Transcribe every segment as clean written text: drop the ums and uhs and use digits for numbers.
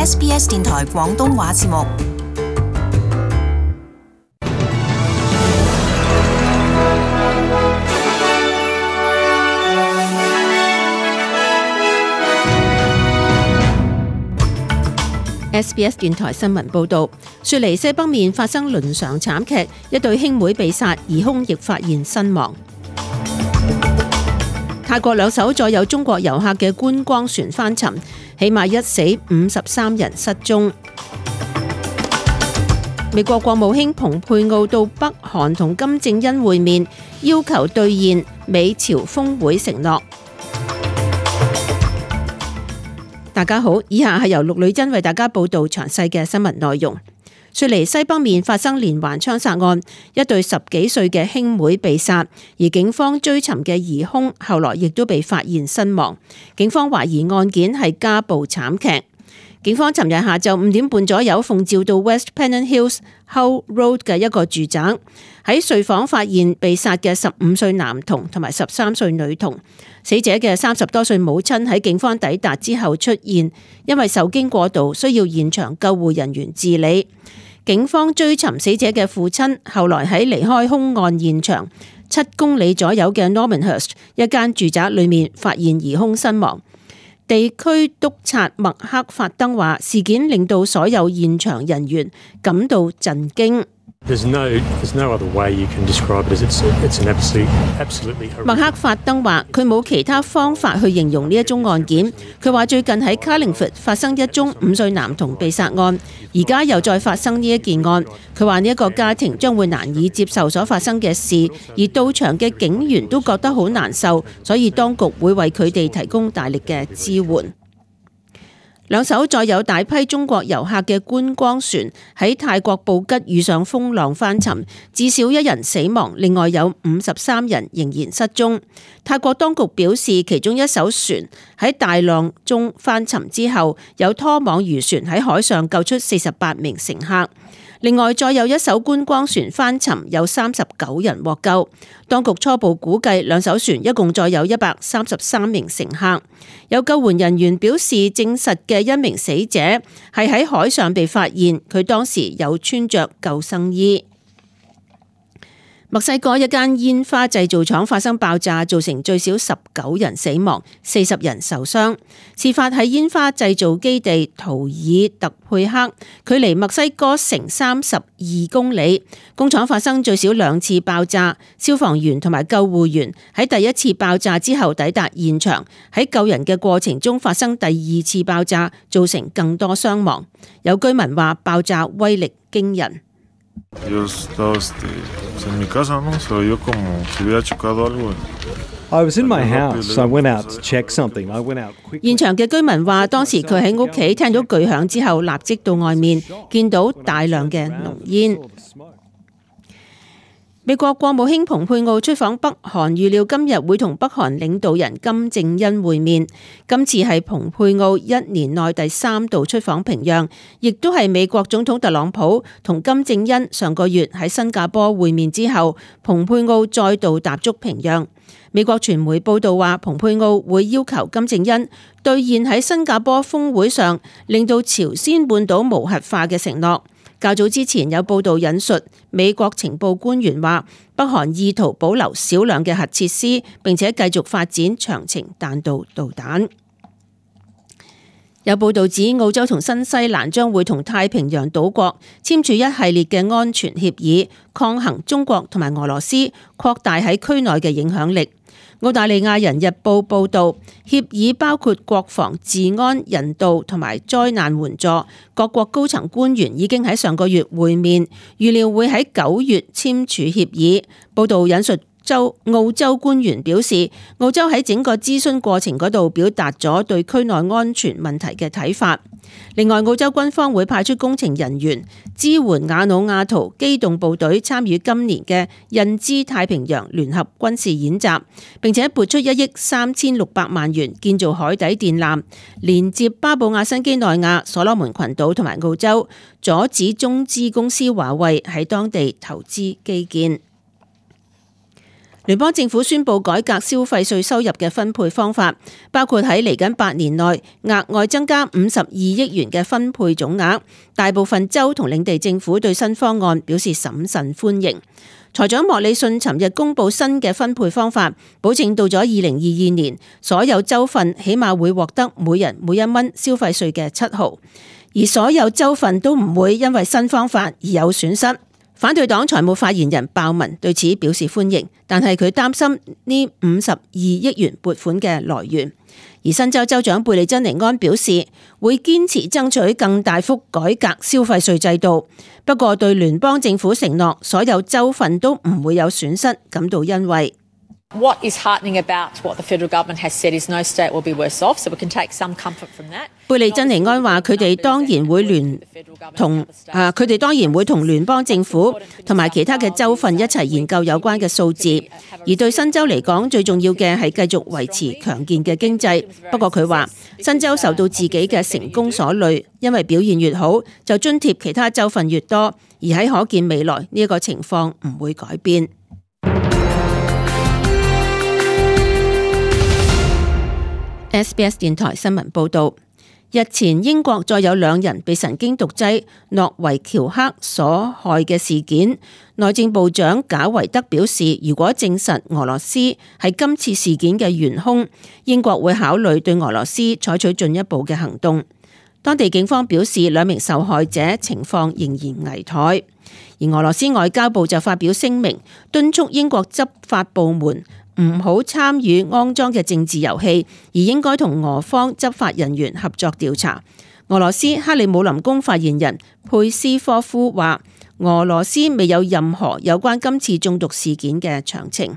SBS 電台廣東話節目。SBS 電台新聞報導，雪梨西北面發生倫常慘劇，一對兄妹被殺，疑兇亦發現身亡。泰國兩艘載有中國遊客嘅觀光船翻沉，起碼1死53人失蹤。美國國務卿蓬佩奧到北韓同金正恩會面，要求兌現美朝峰會承諾。大家好，以下係由陸女真為大家報道詳細嘅新聞內容。雪梨西北面發生連環槍殺案，一對10幾歲嘅兄妹被殺，而警方追尋嘅疑兇後來亦都被發現身亡。警方懷疑案件係家暴慘劇。警方尋日下晝5點半左右奉召到 West Pennant Hills Hull Road 嘅一個住宅，喺睡房發現被殺嘅15歲男童同埋13歲女童。死者嘅30多歲母親喺警方抵達之後出現，因為受驚過度需要現場救護人員治理。警方追尋死者嘅父親，後來喺離開兇案現場7公里左右嘅 Normanhurst 一間住宅裏面發現疑兇身亡。地區督察麥克法登話，事件令到所有現場人員感到震驚。麥克法登話，佢冇其他方法去形容呢一宗案件。佢話最近喺 Carlingford 發生一宗5歲男童被殺案，而家又再發生呢一件案。佢話呢一個家庭將會難以接受所發生嘅事，而到場嘅警員都覺得好難受，所以當局會為佢哋提供大力嘅支援。兩艘載有大批中國遊客嘅觀光船喺泰國布吉遇上風浪翻沉，至少1人死亡，另外有53人仍然失蹤。泰國當局表示，其中一艘船喺大浪中翻沉之後，有拖網漁船喺海上救出48名乘客。另外，再有一艘觀光船翻沉，有39人獲救。當局初步估計，兩艘船一共載有133名乘客。有救援人員表示，證實嘅一名死者係喺海上被發現，佢當時有穿着救生衣。墨西哥一間煙花製造廠發生爆炸，造成最少19人死亡，40人受傷。事發喺煙花製造基地圖爾特佩克，距離墨西哥城32公里。工廠發生最少2次爆炸，消防員同埋救護員喺第一次爆炸之後抵達現場，喺救人嘅過程中發生第2次爆炸，造成更多傷亡。有居民話爆炸威力驚人。I was in my house. I went out to check something. I went out quickly. 現場嘅居民話，當時佢喺屋企聽到巨響之後，立即到外面見到大量嘅濃煙。美國國務卿蓬佩奧出訪北韓，預料今日會同北韓領導人金正恩會面。今次係蓬佩奧1年內第3度出訪平壤，亦都係美國總統特朗普同金正恩上個月喺新加坡會面之後，蓬佩奧再度踏足平壤。美國傳媒報道話，蓬佩奧會要求金正恩兌現喺新加坡峰會上令到朝鮮半島無核化嘅承諾。較早之前有報道引述美國情報官員話，北韓意圖保留少量嘅核設施，並且繼續發展長程彈道導彈。有報道指，澳洲同新西蘭將會同太平洋島國簽署一系列嘅安全協議，抗衡中國同埋俄羅斯擴大喺區內嘅影響力。澳大利亞人日報報導，協議包括國防、治安、人道同埋災難援助。各國高層官員已經喺上個月會面，預料會喺9月簽署協議。報導引述澳洲官員表示，澳洲喺整個諮詢過程嗰度表達咗對區內安全問題嘅睇法。另外，澳洲軍方會派出工程人員支援瓦努阿圖機動部隊參與今年嘅印支太平洋聯合軍事演習，並且撥出1億3600萬元建造海底電纜，連接巴布亞新畿內亞、所羅門群島同埋澳洲，阻止中資公司華為喺當地投資基建。聯邦政府宣布改革消費稅收入嘅分配方法，包括喺嚟緊8年內額外增加52億元嘅分配總額。大部分州同領地政府對新方案表示審慎歡迎。財長莫里遜尋日公布新嘅分配方法，保證到咗2022年，所有州份起碼會獲得每人每1蚊消費稅嘅7毫，而所有州份都唔會因為新方法而有損失。反對黨財務發言人鮑文對此表示歡迎，但係佢擔心呢52億元撥款嘅來源。而新州州長貝利珍尼安表示會堅持爭取更大幅改革消費稅制度，不過對聯邦政府承諾所有州份都唔會有損失感到欣慰。What is heartening about what the federal government has said is no state will be worse off, so we can take some comfort from that. 貝利珍尼安話：佢哋當然會同聯邦政府同埋其他嘅州份一齊研究有關嘅數字，而對新州嚟講，最重要嘅係繼續維持強健嘅經濟。不過佢話新州受到自己嘅成功所累，因為表現越好，就津貼其他州份越多，而喺可見未來呢一個情況唔會改變。SBS 電台新聞報導，日前英國再有2人被神經毒劑諾維喬克所害嘅事件，內政部長賈維德表示，如果證實俄羅斯係今次事件嘅元兇，英國會考慮對俄羅斯採取進一步嘅行動。當地警方表示，2名受害者情況仍然危殆，而俄羅斯外交部就發表聲明，敦促英國執法部門唔好參與骯髒嘅政治遊戲，而應該同俄方執法人員合作調查。俄羅斯克里姆林宮發言人佩斯科夫話，俄羅斯未有任何有關今次中毒事件嘅詳情。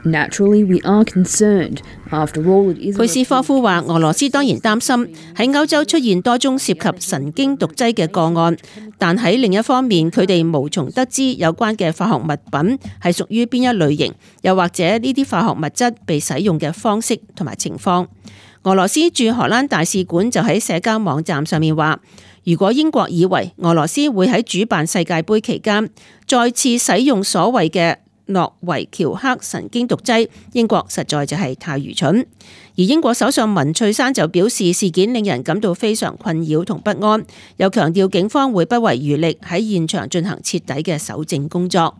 Naturally, we are concerned. After all, it is. 佩斯科夫話：俄羅斯當然擔心喺歐洲出現多宗涉及神經毒劑嘅個案，但喺另一方面，佢哋無從得知有關嘅化學物品係屬於邊一類型，又或者呢啲化學物質被使用嘅方式同埋情況。俄羅斯駐荷蘭大使館就喺社交網站上面話：如果英國以為俄羅斯會喺主辦世界盃期間再次使用所謂嘅諾維喬克神經毒劑，英國實在就係太愚蠢。而英國首相文翠珊就表示，事件令人感到非常困擾同不安，又強調警方會不遺餘力喺現場進行徹底嘅搜證工作。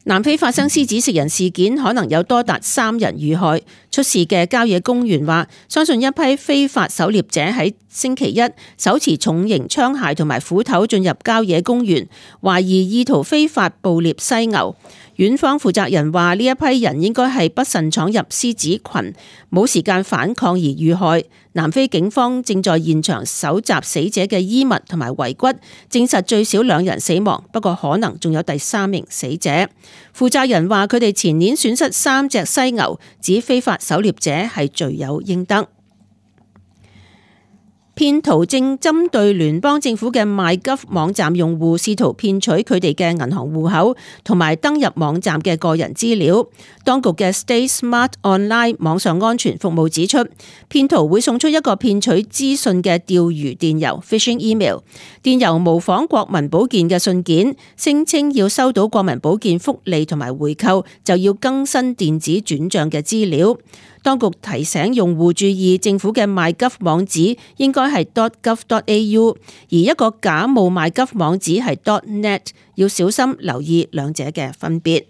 南非發生獅子食人事件，可能有多達3人遇害。出事嘅郊野公園話，相信一批非法狩獵者喺星期一手持重型槍械同埋斧頭進入郊野公園，懷疑意圖非法捕獵犀牛。園方負責人話，呢一批人應該係不慎闖入獅子群，冇時間反抗而遇害。南非警方正在現場搜集死者嘅衣物同埋遺骨，證實最少2人死亡，不過可能仲有第3名死者。負責人話，佢哋前年損失3隻犀牛，指非法狩獵者係罪有應得。騙徒正針對聯邦政府嘅 MyGov 網站用戶，試圖騙取佢哋嘅銀行戶口同埋登入網站嘅個人資料。當局嘅 Stay Smart Online 網上安全服務指出，騙徒會送出一個騙取資訊嘅釣魚電郵 （phishing email）， 電郵模仿國民保健嘅信件，聲稱要收到國民保健福利同埋回扣，就要更新電子轉賬嘅資料。當局提醒用戶注意，政府嘅 MyGov 網址應該係 .gov.au， 而一個假冒 MyGov 網址係 .net， 要小心留意兩者嘅分別。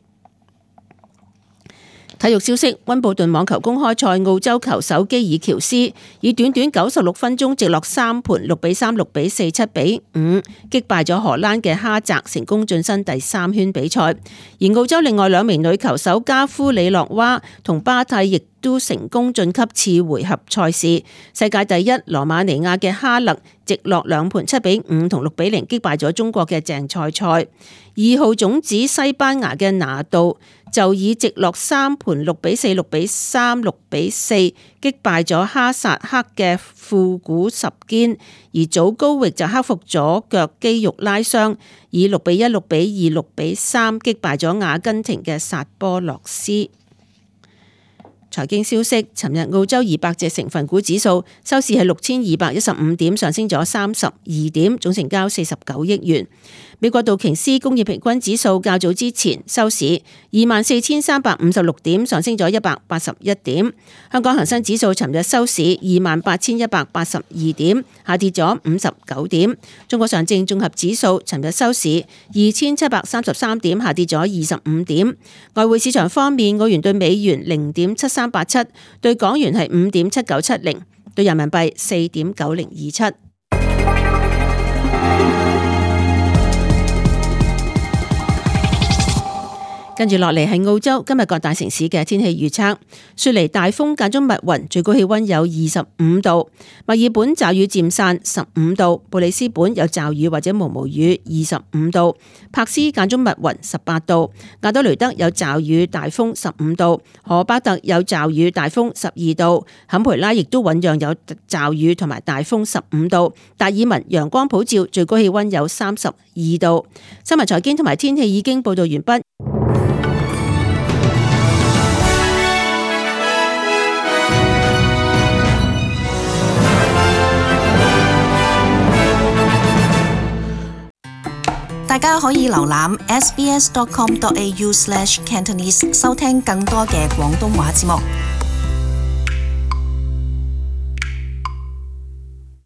體育消息：溫布頓網球公開賽，澳洲球手基爾喬斯以短短96分鐘直落3盤6比3、6比4、7比5擊敗咗荷蘭嘅哈澤，成功晉身第3圈比賽。而澳洲另外2名女球手加夫里諾娃同巴蒂亦都成功晉級次回合賽事。世界第一羅馬尼亞嘅哈勒直落2盤7比5同6比0擊敗咗中國嘅鄭賽賽。2號種子西班牙嘅拿度就以直落3盤6比4、6比3、6比4擊敗咗哈薩克嘅庫古什堅，而祖高域就克服咗腳肌肉拉傷，以6比1、6比2、6比3擊敗咗阿根廷嘅薩波洛斯。財經消息，尋日澳洲200隻成分股指數收市係6215點，上升咗32點，總成交49億元。美國道瓊斯工業平均指數較早之前收市24,356點，上升咗181點。香港恒生指數尋日收市28,182點，下跌咗59點。中國上證綜合指數尋日收市2,733點，下跌咗25點。外匯市場方面，澳元對美元0.7387，對港元係5.7970，對人民幣4.9027。跟住落嚟係澳洲今日各大城市嘅天氣預測。雪梨大風間中密雲，最高氣溫有25度；墨爾本驟雨漸散15度；布里斯本有驟雨或者毛毛雨25度；柏斯間中密雲18度；亞德雷德有驟雨大風15度；荷巴特有驟雨大風12度；坎培拉亦都醞釀有驟雨同埋大風15度；達爾文陽光普照，最高氣溫有32度。新聞財經同埋天氣已經報道完畢。大家可以瀏覽 sbs.com.au/cantonese 收聽更多嘅廣東話節目。